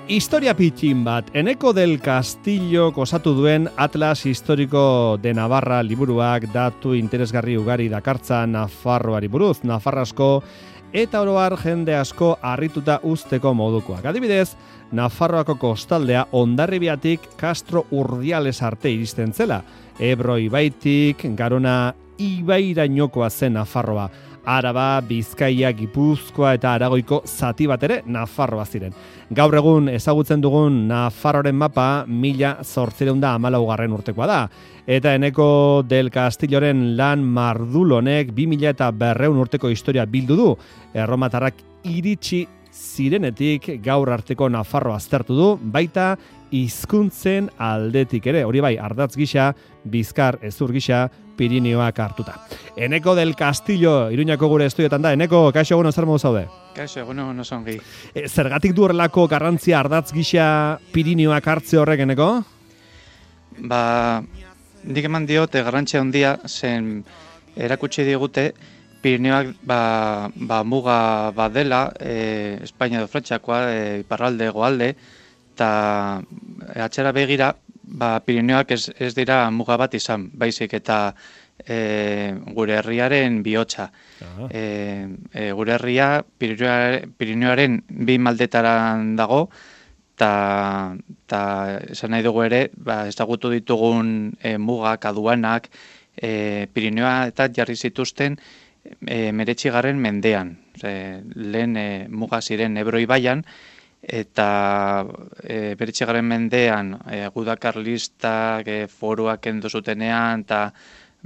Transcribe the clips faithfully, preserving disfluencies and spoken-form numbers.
Historia pitxin bat, Eneko del Castillo osatu duen Atlas Historiko de Navarra liburuak datu interesgarri ugari dakartza Nafarroari buruz, Nafarrasko eta oroar jende asko harrituta uzteko modukoak. Adibidez, Nafarroako kostaldea Hondarribiatik Castro Urdiales arte iristen zela, Ebro ibaitik Garona ibairainokoa zen Nafarroa. Araba, Bizkaia, Gipuzkoa eta Aragoiko zati bat ere Nafarroa ziren. Gaur egun ezagutzen dugun Nafarroaren mapa mila zortziehun eta hamalaugarren urtekoa da. Eta Eneko del Castilloren lan mardulonek bi mila eta berrehun urteko historia bildu du. Erromatarrak iritsi zirenetik gaur arteko Nafarroa aztertu du, baita hizkuntzen aldetik ere. Hori bai, ardatz gisa, bizkar ezur gisa, Pirinioak hartuta. Eneko del Castillo, Iruñako gure estudiotan da. Eneko, kaixo egun zer modu zaude? Kaixo egun oso ongi. E, zergatik du horrelako garrantzia ardatz gisa Pirinioak hartze horrek, Eneko? Ba, nik eman diote garrantzia handia zen erakutsi digute Pirinioak ba, ba, muga badela, e, Espainia edo Frantziakoa, e, iparralde, goalde, eta atxera begira, ba, Pirinioak ez, ez dira muga bat izan, baizik eta e, gure herriaren bihotza. E, e, gure herria Pirinioaren bi maldetaran dago, eta esan nahi dugu ere, ba, ezagutu ditugun e, mugak, aduanak, e, Pirinioa eta jarri zituzten e, meretzigarren mendean. E, lehen e, muga ziren Ebro ibaian, eta e, beretzigarren mendean e, guda karlistak e, foruak kendu zutenean eta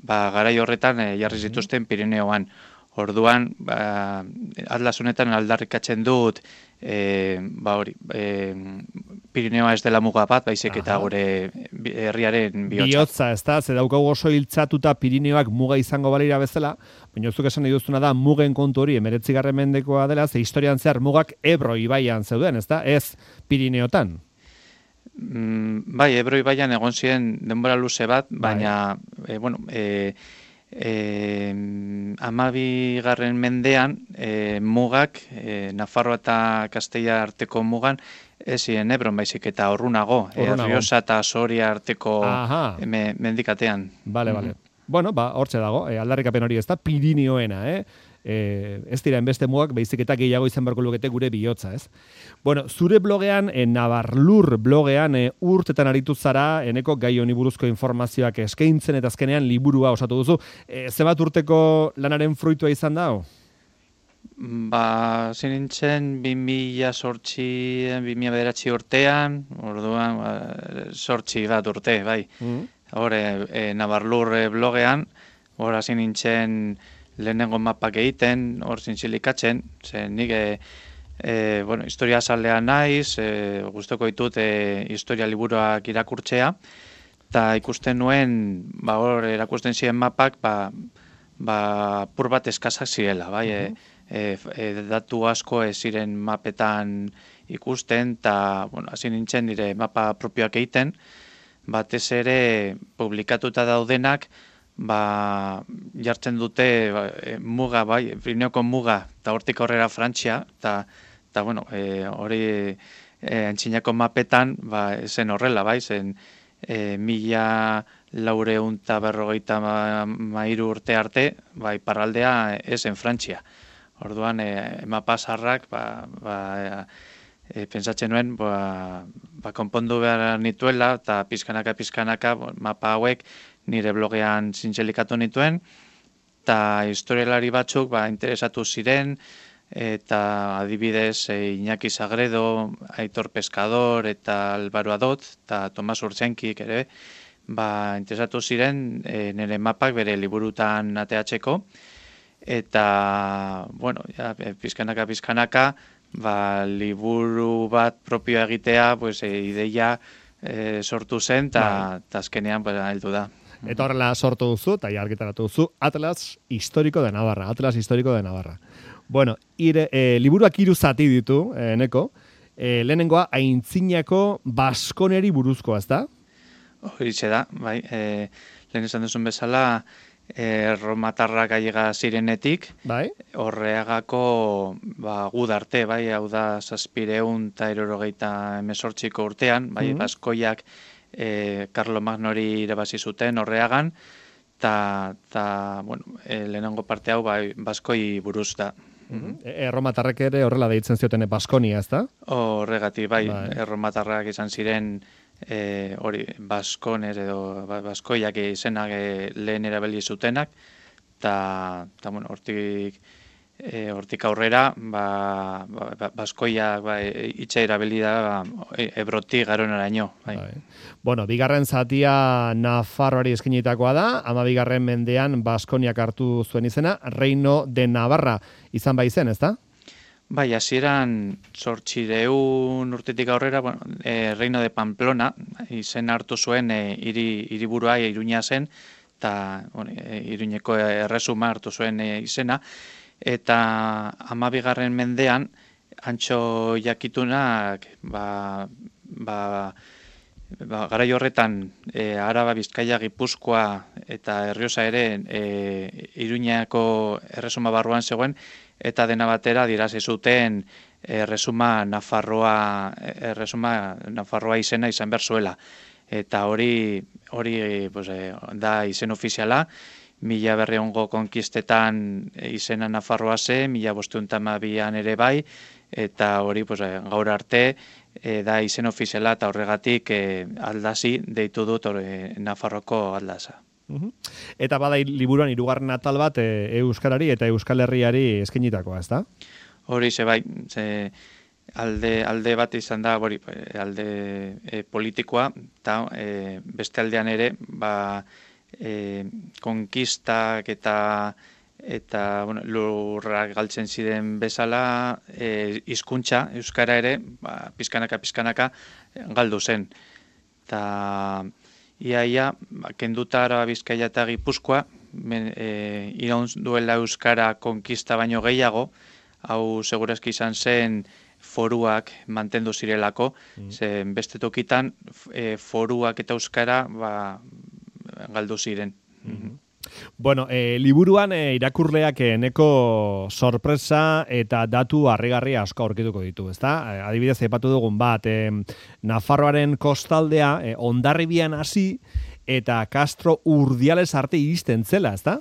ba, garai horretan e, jarri zituzten Pirineoan. Orduan, ba, Atlas honetan aldarrikatzen dut e, ba, hori, e, Pirineoa ez dela muga bat, baizik eta gure herriaren bihotza. Bihotza, ez da, ze daukagu oso hiltzatuta Pirineoak muga izango balira bezala, baina zuk esan nahi duzuna da mugen kontu hori emeretzigarren mendekoa dela, ze historian zehar mugak Ebro ibaian zeuden, ez da, ez Pirineotan. Mm, bai, Ebro ibaian egon ziren denbora luze bat, baina, bai. e, bueno, e, E, amabigarren mendean e, mugak, e, Nafarroa eta Kastella arteko mugan, ez ziren Ebron baizik eta Orrunago, e, Riosa eta Soria arteko me, mendikatean. Bale, bale. Mm-hmm. Bueno, ba, hortxe dago, e, aldarrikapen hori ez da, Pirinioena, eh? E, ez dira enbeste mugak, baizik eta gehiago izan beharko lukete gure bihotza, ez? Bueno, zure blogean, e, Navarlur blogean, e, urtetan aritu zara, Eneko gai honi buruzko informazioak eskaintzen eta azkenean liburua osatu duzu. E, zebat urteko lanaren fruitua izan da? Ba, zinintzen bi mila sortzi, bi mila bederatzi urtean, orduan, ba, sortzi bat urte, bai. Mm. Hore, e, Navarlur e, blogean, hora zinintzen lehenengo mapak egiten, hor zintzilikatzen, ze nik e, e, bueno, historia zalea naiz, e, guztoko ditut e, historia liburuak irakurtzea, eta ikusten nuen, ba, hor erakusten ziren mapak, ba, ba, pur bat eskazak zirela, bai, uh-huh. e, e, datu asko ez ziren mapetan ikusten, eta, bueno, hasi nintzen nire mapa propioak egiten, batez ere publikatuta daudenak, ba, jartzen dute ba, e, muga, bai, Pirineoko muga, eta hortik horrera Frantzia, eta, eta bueno, e, hori e, antzinako mapetan, ba, zen horrela, bai, zen e, mila laureun eta berrogeita ma, mairu urte arte, bai, parraldea ezen Frantzia. Orduan, e, mapa zarrak, ba, ba, e, pentsatzen nuen, ba, ba, konpondu behar nituela, eta pizkanaka, pizkanaka, bo, mapa hauek, nire blogean zintzelikatu nituen, eta historialari batzuk ba, interesatu ziren, eta adibidez e, Iñaki Sagredo, Aitor Pescador, eta Álvaro Adot, eta Tomas Urtzenkik ere, ba, interesatu ziren e, nire mapak bere liburutan ateatzeko, eta, bueno, ja, pizkanaka, pizkanaka, ba, liburu bat propioa egitea, pues, e, ideia e, sortu zen, eta azkenean ba, heldu da. Eta horrela sortu duzu, eta argitaratu duzu, Atlas Historiko de Navarra. Atlas Historiko de Navarra. Bueno, ire, e, liburuak hiru zati ditu, e, Eneko. E, lehenengoa, aintzinako Baskoneri buruzkoa, ez da? Horixe da, bai. E, lehen esan duzun bezala, erromatarrak aiega zirenetik, bai? horreagako ba, gudarte, bai, hau da zazpireun eta irurogeita emesortziko urtean, bai, Mm. Baskoiak e, Karlo Magnori irabazi zuten horreagan, eta, ta, bueno, e, lehenengo parte hau bai, Baskoi buruz da. Mhm. Erromatarrek ere horrela deitzen zioten Baskonia, ezta? Horregatik, bai, Bai. erromatarrak izan ziren e, hori, Baskones edo ba- Baskoiak izenak e, lehen erabili zutenak, eta, ta, bueno, hortik, e, hortik aurrera, ba, ba, ba, Baskoiak ba, e, itxa erabili da ba, e, Ebrotik garonaraino. Bai. Bai. Bueno, bigarren zatia Nafarroari eskinitakoa da, ama bigarren mendean Baskoniak hartu zuen izena, Reino de Navarra izan bai zen, ezta? Bai, hasieran zortzireun urtetik aurrera, bueno, e, Reino de Pamplona izen hartu zuen e, hiri hiriburua Iruña zen, eta bueno, e, Iruñeko erresuma hartu zuen e, izena, eta hamabigarren mendean antxo jakitunak ba, ba, ba, garai horretan e, Araba, Bizkaia, Gipuzkoa eta Errioxa ere e, Iruñako erresuma barruan zegoen, eta dena batera dirazi zuten erresuma Nafarroa erresuma Nafarroa izena izan behar zuela. Eta hori hori pues, eh, da izen ofiziala, mila berrehungo konkistetan izena Nafarroa ze, mila bostehun eta hamabian ere bai, eta hori pues, eh, gaur arte eh, da izen ofiziala eta horregatik eh, aldazi deitu dut eh, Nafarroko aldaza. Mhm. Eta bada liburuan hirugarren atal bat e, Euskarari eta Euskal Herriari eskinitakoa, ezta? Hori ze bai, ze alde, alde bat izan da, hori, alde e, politikoa, eta e, beste aldean ere, ba, e, konkistak eta eta bueno, lurrak galtzen ziren bezala, e, hizkuntza Euskara ere, ba, pizkanaka, pizkanaka galdu zen. Eta iaia, ba, kenduta Araba, Bizkaia eta Gipuzkoa, men, e, iraun duela Euskara konkista baino gehiago, hau segurazki izan zen foruak mantendu zirelako, mm. zen beste tokitan e, foruak eta Euskara ba, galdu ziren. Mm-hmm. Bueno, e, liburuan e, irakurleak eneko sorpresa eta datu harrigarria asko aurkituko ditu, ezta? E, adibidez, aipatu dugun bat, e, Nafarroaren kostaldea e, Hondarribian hasi eta Castro Urdiales arte iristen zela, ezta?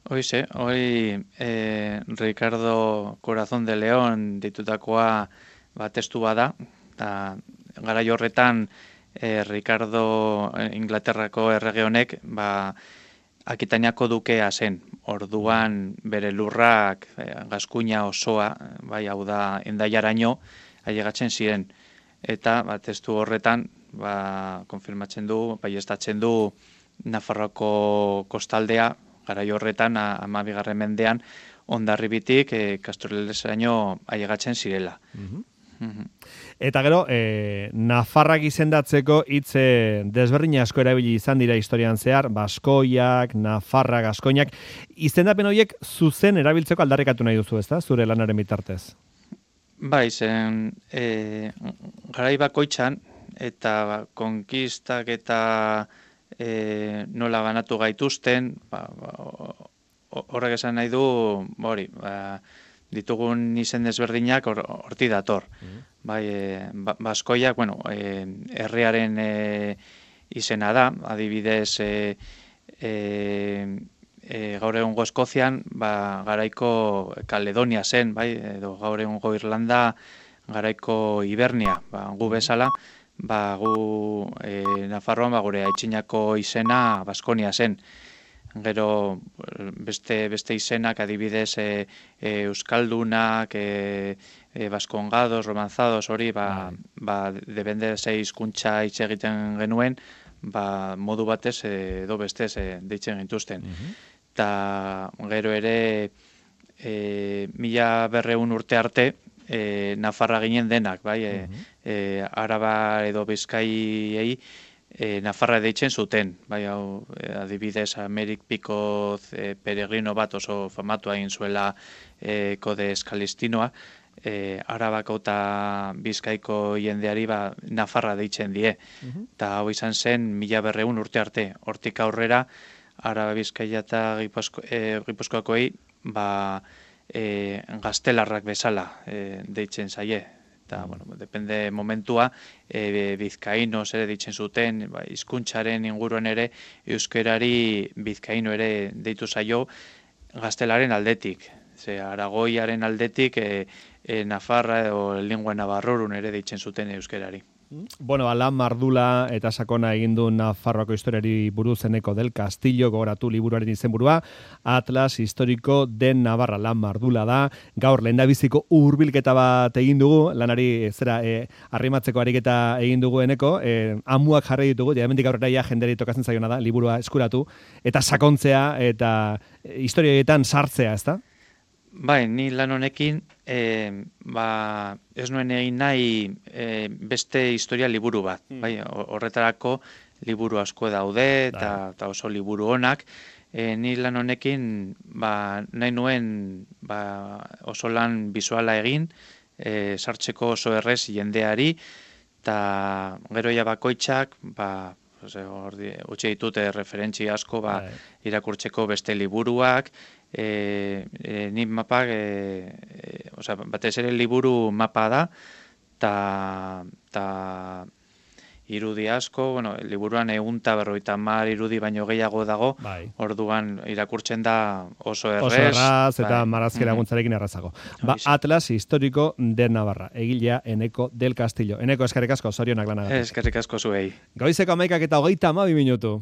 Hoize, hoi eh, Ricardo Corazón de León ditutakoa ba, testu bada, eta garai horretan eh, Ricardo Inglaterrako errege honek ba, Akitaniako dukea zen, orduan bere lurrak eh, Gaskuña osoa, bai hau da Hendaiaraino ailegatzen ziren, eta ba, testu horretan ba, konfirmatzen du, baieztatzen du Nafarroako kostaldea, garai horretan, hamabigarren mendean, Hondarribitik e, Castroleseraino ailegatzen zirela. Mm-hmm. Mm-hmm. Eta gero, e, Nafarrak izendatzeko hitz desberdin asko erabili izan dira historian zehar, Baskoiak, Nafarrak, Gaskoinak, izendapen horiek zuzen erabiltzeko aldarrikatu nahi duzu, ezta? Zure lanaren bitartez. Bai, zen, e, garai bakoitzan, eta konkistak eta E, nola banatu gaituzten, ba, ba, horrek esan nahi du, hori, ba, ditugun izen desberdinak horti or, dator. Mm. Bai, e, ba, Baskoiak, bueno, e, herriaren e, izena da, adibidez, e, e, e, gaur egungo Eskozian, ba, garaiko Kaledonia zen, bai, edo gaur egungo Irlanda, garaiko Hibernia, ba, gu bezala, ba, gu e, Nafarroan ba, gure aitzinako izena Baskonia zen. Gero beste beste izenak adibidez e, e, Euskaldunak, e, e, Baskongados, Romanzados, hori, ba, ba, debende ze hizkuntza hitz egiten genuen, ba, modu batez edo bestez e, deitzen gintuzten. Eta uh-huh. Gero ere e, mila berreun urte arte, E, Nafarra ginen denak, bai, e, uh-huh. e, Araba edo Bizkaiei e, Nafarra deitzen zuten, bai, hau, e, adibidez Amerik Pikoz e, peregrino bat oso famatu egin zuela e, kode eskalistinoa, e, Arabako eta Bizkaiko jendeari ba, Nafarra deitzen die, eta uh-huh. hau izan zen mila berreun urte arte, hortik aurrera Araba Bizkaia eta Gipuzko, e, Gipuzkoakoei ba, e, gaztelarrak bezala e, deitzen zaie. Eta, bueno, depende momentua, e, bizkainos ere ditzen zuten, ba, hizkuntzaren inguruan ere, euskerari bizkaino ere deitu zaio gaztelaren aldetik. Ze Aragoiaren aldetik, e, e, Nafarra edo lingua navarrorun ere deitzen zuten euskerari. Bueno, Lan Mardula eta sakona egin du Nafarroako historiari buruz Eneko del Castillo, gogoratu liburuaren izenburua, Atlas Historiko de Navarra. Lan Mardula da, gaur lehendabiziko hurbilketa bat egin dugu, lanari zera e, arrimatzeko ariketa egin dugu Eneko, e, amuak jarri ditugu, jamendik aurrera ja jenderi tokatzen zaiona da, liburua eskuratu, eta sakontzea, eta historioetan sartzea, ezta? Bai, ni lan honekin e, ba, ez nuen egin nahi e, beste historia liburu bat. Mm. Bai, horretarako liburu asko daude eta, eta oso liburu onak. E, ni lan honekin ba, nahi nuen ba, oso lan bizuala egin, e, sartzeko oso errez jendeari, eta gero ja bakoitzak, ba, utxe ditute referentzi asko ba, irakurtzeko beste liburuak, E, e, ni mapak, e, e, oza, batez ere liburu mapa da, eta irudi asko, bueno, liburuan egunta berroita mar irudi baino gehiago dago, bai. Orduan irakurtzen da oso errez. Oso erraz eta bai. Marazkera guntzarekin errazago. Ba, Atlas Historiko de Navarra, egilea Eneko del Castillo. Eneko, eskerrik asko, zorionak lanagatik. Eskerrik asko zuei. Goizeko amaikak eta hogeita amabi minutu.